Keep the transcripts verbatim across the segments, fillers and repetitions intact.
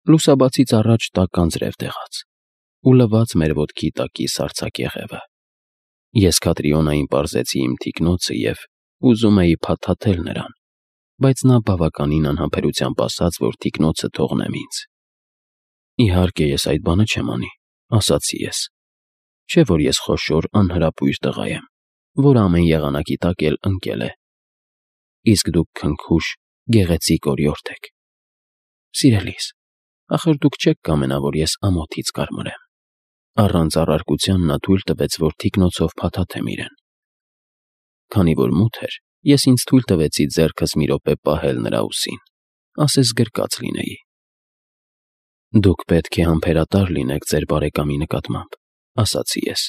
Լուսաբացից առաջ տաք անձրև տեղաց ու լվաց մեր ոտքի տակի սառցակեղևը։ Ես Քատրիոնային պարզեցի իմ թիկնոցը և ուզում էի փաթաթել նրան, բայց նա բավականին անհամբերությամբ ասաց, որ թիկնոցը թողնեմ ինձ։ Իհարկե, ես այդ բանը չեմ անի, ասացի ես։ Չէ՞ որ ես խոշոր անհրապույր տղա եմ, որ ամեն եղանակի տակ էլ ընկել է։ Իսկ դուք քնքուշ, գեղեցիկ օրիորդ եք։ Սիրելիս, ախր դուք չեք կամենա, որ ես ամոթից կարմրեմ։ Առանց առարկության նա թույլ տվեց, որ թիկնոցով փաթաթեմ իրեն։ Քանի որ մութ էր, ես ինձ թույլ տվեցի ձեռքս մի րոպե պահել նրա ուսին, ասես գրկած լինեի։ Դուք պետք է համբերատար լինեք ձեր բարեկամի նկատմամբ, ասացի ես։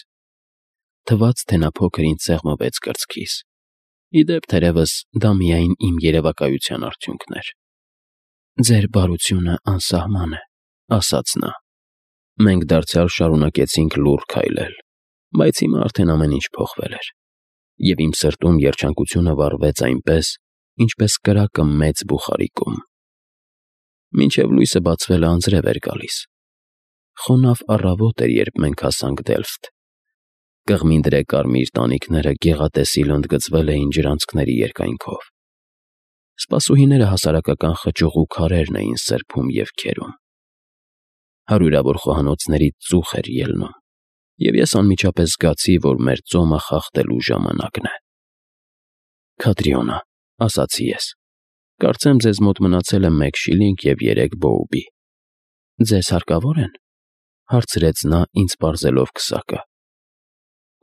Թվաց, թե նա փոքր ինձ սեղմվեց կրծքիս։ Ի դեպ, թերևս դա միայն իմ երևակայության արդյունքն էր։ Ձեր բարությունը անսահման է, ասաց նա։ Մենք դարձյալ շարունակեցինք լուռ քայլել, բայց հիմա արդեն ամեն ինչ փոխվել էր, և իմ սրտում երջանկությունը վառվեց այնպես, ինչպես կրակը մեծ բուխարիկում։ Մինչև լույսը բացվելը անձրև էր գալիս։ Խոնավ առավոտ էր, երբ մենք հասանք Դելֆտ։ Կղմինդրե կարմիր տանիքները գեղատեսիլ ընդգծվել էին ջրանցքների երկայնքով։ Սպասուհիները հասարակական խճուղ ու քարերն էին սրբում և քերում։ Հարյուրավոր խոհանոցներից ծուխ էր ելնում, և ես անմիջապես զգացի, որ մեր ծոմը խախտելու ժամանակն է։ Քատրիոնա, ասացի ես, կարծեմ ձեզ մոտ մնացել է մեկ շիլինգ և երեք բոուբի։ Ձեզ հարկավո՞ր են, հարցրեց նա, ինձ պարզելով քսակը։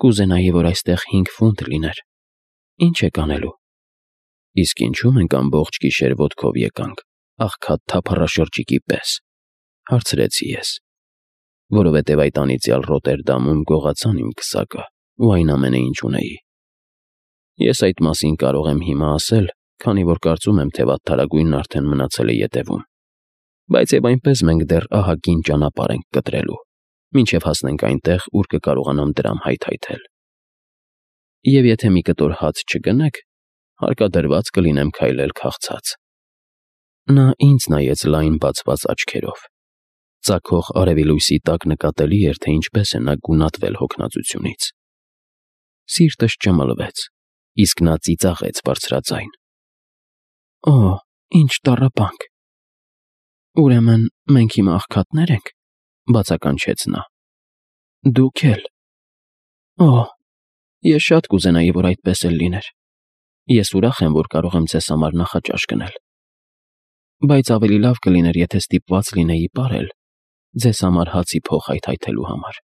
Կուզենայի, որ այստեղ հինգ ֆունտ լիներ։ Ինչ եք անելու։ Իսկ ինչու մենք ամբողջ գիշեր ոտքով եկանք, աղքատ թափառաշրջիկի պես, հարցրեցի ես, որովհետև այդ անիծյալ Ռոտերդամում գողացան իմ քսակը ու այն ամենը, ինչ ունեի։ Ես այդ մասին կարող եմ հիմա ասել, քանի որ կարծում եմ, թե վատթարագույնն արդեն մնացել է ետևում, բայց և այնպես մենք դեռ ահագին ճանապարհ ենք կտրելու, մինչև հասնենք այնտեղ, ուր կկարողանամ դրամ հայթայթել։ Եվ եթե մի կտոր հաց չգնեք, հարկադրված կլինեմ քայլել քաղցած։ Նա ինձ նայեց լայն բացված աչքերով։ Ծագող արևի լույսի տակ նկատելի էր, թե ինչպես է նա գունատվել հոգնածությունից։ Սիրտս ճմլվեց, իսկ նա ծիծաղեց բարձրաձայն։ Օ, ինչ տառապանք։ Ուրեմն մենք հիմա աղքատնե՞ր ենք, բացականչեց նա։ Դուք էլ։ Օ, ես շատ կուզենայի, որ այդպես էլ լիներ։ Ես ուրախ եմ, որ կարող եմ ձեզ համար նախաճաշ գնել։ Բայց ավելի լավ կլիներ, եթե ստիպված լինեի պարել, ձեզ համար հացի փող հայթայթելու համար։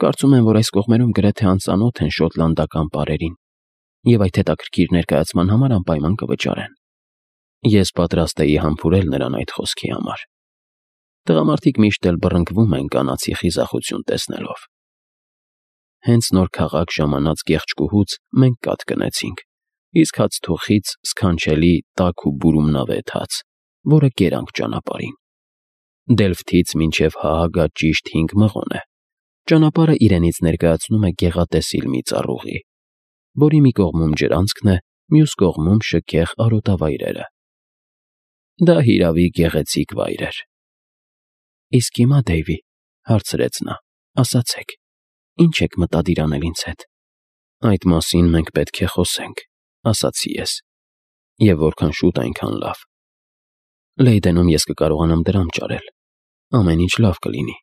Կարծում եմ, որ այս կողմերում գրեթե անծանոթ են շոտլանդական պարերին, և այդ հետաքրքիր ներկայացման համար անպայման կվճարեն։ Ես պատրաստ էի համբուրել նրան այդ խոսքի համար։ Տղամարդիկ միշտ էլ բռնկվում են կանացի խիզախություն տեսնելով։ Հենց նոր քաղաք ժամանած կեղճկուհուց մենք կաթ գնեցինք, իսկ հացթուխից սքանչելի տաք ու բուրումնավետ հաց, որը կերանք ճանապարհին։ Դելֆտից մինչև Հաագա ճիշտ հինգ մղոն է։ Ճանապարհը իրենից ներկայացնում է գեղատեսիլ մի ծառուղի, որի մի կողմում ջրանցքն է, մյուս կողմում շքեղ արոտավայրերը։ Դա հիրավի գեղեցիկ վայր էր։ Իսկ հիմա, Դեյվի, հարցրեց նա, ասացեք, ինչ եք մտադիր անել ինձ հետ։ Այդ մասին մենք պետք է խոսենք, ասացի ես, և որքան շուտ, այնքան լավ։ Լեյդենում ես կկարողանամ դրամ ճարել, ամեն ինչ լավ կլինի,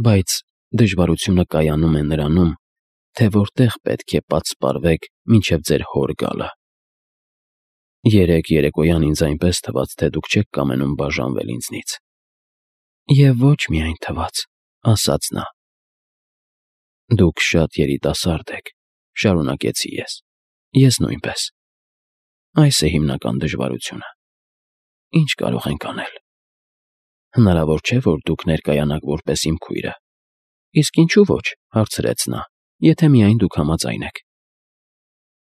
բայց դժվարությունը կայանում է նրանում, թե որտեղ պետք է պատսպարվեք մինչև ձեր հոր գալը։ Երեկ երեկոյան ինձ այնպես թվաց, թե դուք չեք կամենում բաժանվել ինձնից։ Եվ ոչ միայն թվաց, ասաց նա։ Դուք շատ երիտասարդ եք, շարունակեցի ես, ես նույնպես։ Այս է հիմնական դժվարությունը։ Ինչ կարող ենք անել։ Հնարավոր չէ, որ դուք ներկայանաք որպես իմ քույրը։ Իսկ ինչու ոչ, հարցրեց նա, եթե միայն դուք համաձայն եք։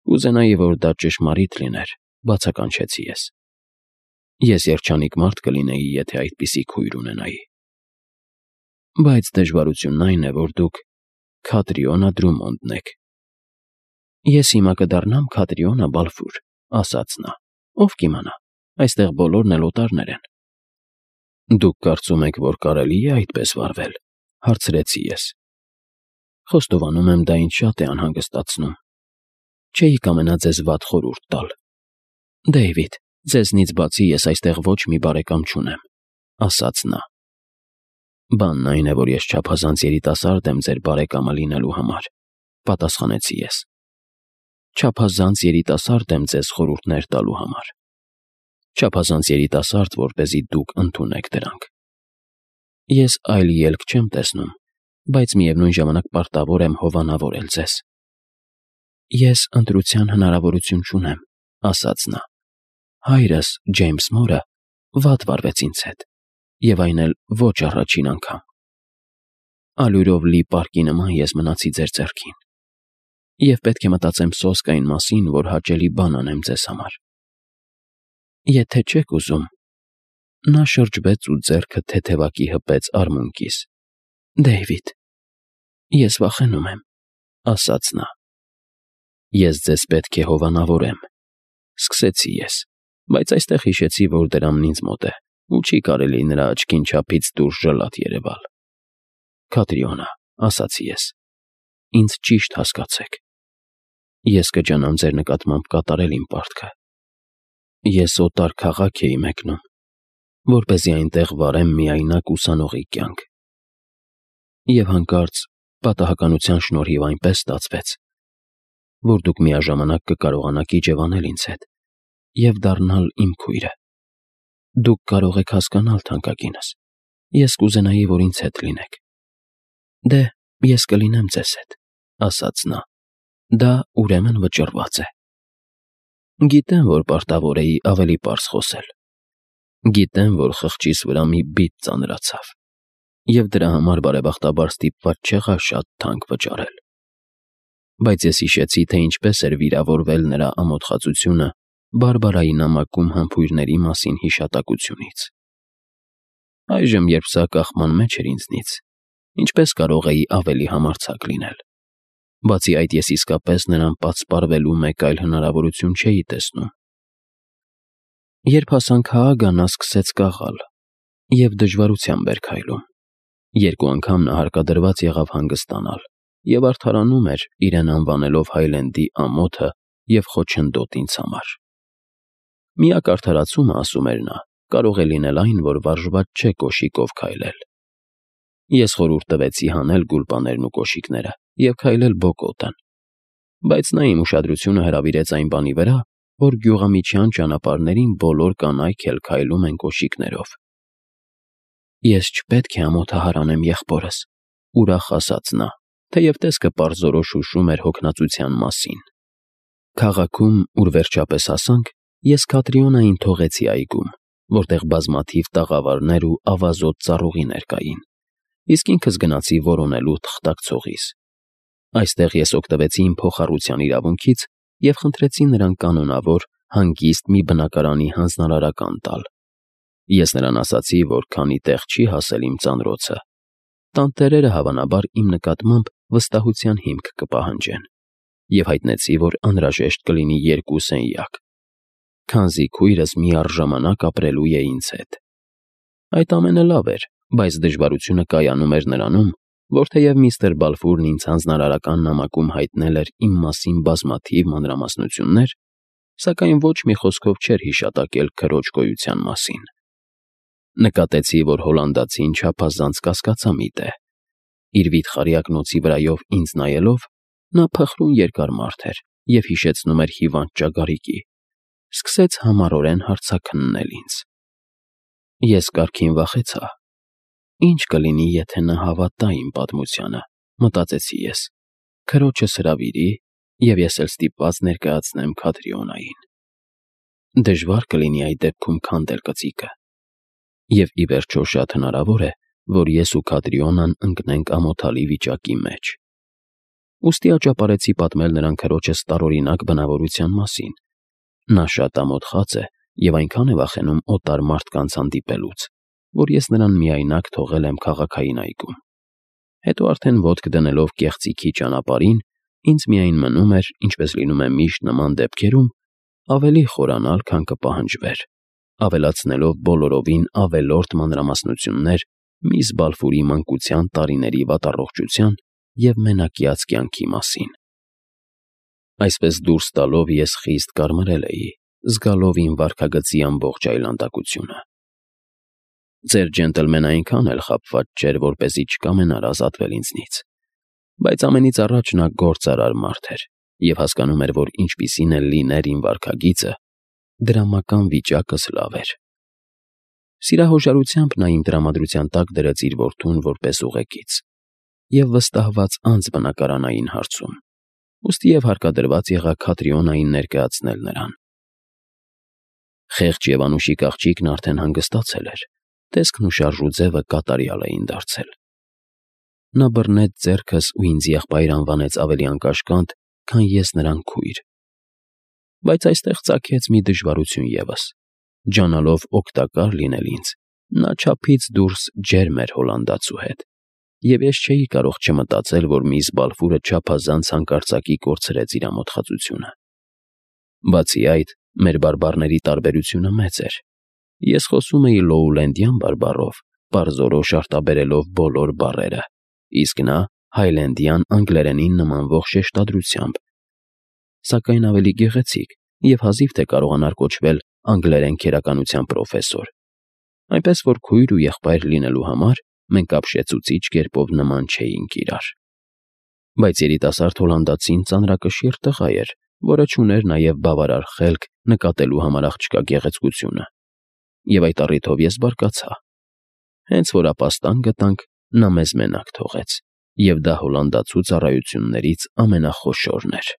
Կուզենայի, որ դա ճշմարիտ լիներ, բացականչեցի ես։ Ես երջանիկ մարդ կլինեի, եթե այդպիսի քույր ունենայի։ Բայց դժվարությունն այն է, որ դուք Քատրիոնա Դրումոնդն եք։ Ես հիմա կդառնամ Քատրիոնա Բալֆուր, ասաց նա։ Ով կիմանա, այստեղ բոլորն էլ օտարներ են։ Դուք կարծում եք, որ կարելի է այդպես վարվել, հարցրեցի ես։ Խոստովանում եմ, դա ինձ շատ է անհանգստացնում։ Չէի կամենա ձեզ վատ խորհուրդ տալ։ Դեյվիդ, ձեզնից բացի ես այստեղ ոչ մի բարեկամ չունեմ, ասաց նա։ Բանն այն է, որ ես չափազանց երիտասարդ եմ ձեր բարեկամը լինելու համար, պատասխանեցի ես։ Չափազանց երիտասարդ եմ ձեզ խորհուրդներ տալու համար։ Չափազանց երիտասարդ, որպեսզի դուք ընդունեք դրանք։ Ես այլ ելք չեմ տեսնում, բայց միևնույն ժամանակ պարտավոր եմ հովանավորել ձեզ։ Ես ընտրության հնարավորություն չունեմ, ասաց նա։ Հայրս, Ջեյմս Մորը, վատ վարվեց ինձ հետ, եւ այն էլ ոչ առաջին անգամ։ Ալյուրով լի պարկի նման ես մնացի ձեր ձեռքին, եւ պետք է մտածեմ սոսկային մասին, որ հաճելի բան անեմ ձեզ համար։ Եթե չեք ուզում, նա շրջվեց ու ձեռքը թեթևակի հպեց արմունկիս։ Դեյվիդ, ես վախենում եմ, ասաց նա։ Ես ձեզ պետք է հովանավորեմ, սկսեցի ես, բայց այստեղ հիշեցի, որ դրամն ինձ մոտ է, ու չի կարելի նրա աչքին չափից դուրս ժլատ երևալ։ Կատրիոնա, ասացի ես, ինձ ճիշտ հասկացեք։ Ես կջանամ ձեր նկատմամբ կատարել իմ պարտքը։ Ես օտար քաղաք էի մեկնում, որպեսզի այնտեղ վարեմ միայնակ ուսանողի կյանք։ Եվ հանկարծ պատահականության շնորհիվ այնպես ստացվեց, որ դուք միաժամանակ կկարողանաք իջևանել ինձ հետ և դառնալ իմ քույրը։ Դուք կարող եք հասկանալ, թանկագինս, ես կուզենայի, որ ինձ հետ լինեք։ Դե, ես կլինեմ ձեզ հետ, ասաց նա։ Դա ուրեմն վճռված է։ Գիտեմ, որ պարտավոր էի ավելի պարզ խոսել։ Գիտեմ, որ խղճիս վրա մի բիծ ծանրացավ, և դրա համար բարեբախտաբար ստիպված չեղա շատ թանկ վճարել։ Բայց ես հիշեցի, թե ինչպես էր վիրավորվել նրա ամոթխածությունը Բարբարայի նամակում համբույրների մասին հիշատակությունից։ Այժմ, երբ սա կախման մեջ էր ինձնից, ինչպես կարող էի ավելի համարձակ լինել։ Բացի այդ, ես իսկապես նրան պատսպարվելու մեկ այլ հնարավորություն չէի տեսնում։ Երբ հասանք Հաագա, նա սկսեց կաղալ և դժվարությամբ էր քայլում։ Երկու անգամ նա հարկադրված եղավ հանգստանալ և արդարանում էր, իրեն անվանելով Հայլենդի ամոթը և խոչընդոտ ինձ համար։ Միակ արդարացումը, ասում էր նա, կարող է լինել այն, որ վարժված չէ կոշիկով քայլել։ Ես խորհուրդ տվեցի հանել գուլպաներն ու կոշիկները և քայլել բոկոտն, բայց նա իմ ուշադրությունը հրավիրեց այն բանի վրա, որ գյուղամիջյան ճանապարհներին բոլոր կանայք էլ քայլում են կոշիկներով։ Ես չպետք է ամոթահար անեմ եղբորս, ուրախ ասաց նա, թեև տեսքը պարզորոշ հուշում էր հոգնածության մասին։ Քաղաքում, ուր վերջապես հասանք, ես Կատրիոնային թողեցի այգում, որտեղ բազմաթիվ տաղավարներ ու ավազոտ ծառուղիներ կային, իսկ ինքս գնացի որոնելու թղթակցողիս։ Այստեղ ես օգտվեցի իմ փոխառության իրավունքից և խնդրեցի նրան կանոնավոր, հանգիստ մի բնակարանի հանձնարարական տալ։ Ես նրան ասացի, որ քանի տեղ չի հասել իմ ծանրոցը, տանտերերը հավանաբար իմ նկատմամբ վստահության հիմք կպահանջեն, և հայտնեցի, որ անհրաժեշտ կլինի երկու սենյակ, քանզի քույրս միառժամանակ ապրելու է ինձ հետ։ Այդ ամենը լավ էր, բայց դժվարությունը կայանում էր նրանում, որ թեև միստր Բալֆուրն ինձ հանձնարարական նամակում հայտնել էր իմ մասին բազմաթիվ մանրամասնություններ, սակայն ոչ մի խոսքով չէր հիշատակել քրոջ գոյության մասին։ Նկատեցի, որ հոլանդացին չափազանց կասկածամիտ է։ Իր վիթխարի ակնոցի վրայով ինձ նայելով, նա փխրուն երկար մարդ էր և հիշեցնում էր հիվանդ ճագարիկի, սկսեց համառորեն հարցաքննել ինձ։ Ես կարգին վախեցա։ Ինչ կլինի, եթե նա հավատա իմ պատմությանը, մտածեցի ես, քրոջս հրավիրի, և ես էլ ստիպված ներկայացնեմ Կատրիոնային։ Դժվար կլինի այդ դեպքում քանդել կծիկը։ Եվ ի վերջո շատ հնարավոր է, որ ես ու Կատրիոնան ընկնենք ամոթալի վիճակի մեջ։ Ուստի աճապարեցի պատմել նրան քրոջս տարօրինակ բնավորության մասին։ Նա շատ ամոթխած է և այնքան է վախենում օտար մարդկանց հանդիպելուց, որ ես նրան միայնակ թողել եմ քաղաքային այգում։ Հետո արդեն ոտք դնելով կեղծիքի ճանապարհին, ինձ միայն մնում էր, ինչպես լինում է միշտ նման դեպքերում, ավելի խորանալ, քան կպահանջվեր, ավելացնելով բոլորովին ավելորդ մանրամասնություններ միս Բալֆուրի մանկության տարիների վատառողջության և մենակյաց կյանքի մասին։ Այսպես դուրս տալով ես խիստ կարմրել էի, զգալով իմ վարքագծի ամբողջ այլանդակությունը։ Ձեր ջենտլմենը այնքան էլ խաբված չէր, որպեսզի չկամենար ազատվել ինձնից, բայց ամենից առաջ նա գործարար մարդ էր և հասկանում էր, որ ինչպիսին էլ լիներ իմ վարքագիծը, դրամական վիճակս լավ էր։ Սիրահոժարությամբ նա իմ տրամադրության տակ դրեց իր որդուն որպես ուղեկից և վստահված անձ բնակարանային հարցում, ուստի և հարկադրված եղա Քատրիոնային ներկայացնել նրան։ Խեղճ և անուշիկ աղջիկն արդեն հանգստացել էր, տեսքն ու շարժուձևը կատարյալ էին դարձել։ Նա բռնեց ձեռքս ու ինձ եղբայր անվանեց ավելի անկաշկանդ, քան ես նրան քույր։ Բայց այստեղ ծագեց մի դժվարություն ևս. ջանալով օգտակար լինել ինձ, նա չափից դուրս ջերմ էր հոլանդացու հետ, և ես չէի կարող չմտածել, որ միս Բալֆուրը չափազանց հանկարծակի կորցրեց իր ամոթխածությունը։ Բացի այդ, մեր բարբառների տարբերությունը մեծ էր. ես խոսում էի լոուլենդյան բարբառով, պարզորոշ արտաբերելով բոլոր բառերը, իսկ նա հայլենդյան անգլերենին նմանվող շեշտադրությամբ, սակայն ավելի գեղեցիկ և հազիվ թե կարողանար կոչվել անգլերեն քերականության պրոֆեսոր, այնպես որ քույր ու եղբայր լինելու համար մենք ապշեցուցիչ կերպով նման չէինք իրար։ Բայց երիտասարդ հոլանդացին ծանրակշիռ տղա էր, որը չուներ նաև բավարար խելք նկատելու համար աղջկա գեղեցկությունը, և այդ առիթով ես բարկացա։ Հենց որ ապաստան գտանք, նա մեզ մենակ թողեց, և դա հոլանդացու ծառայություններից ամենախոշորն էր։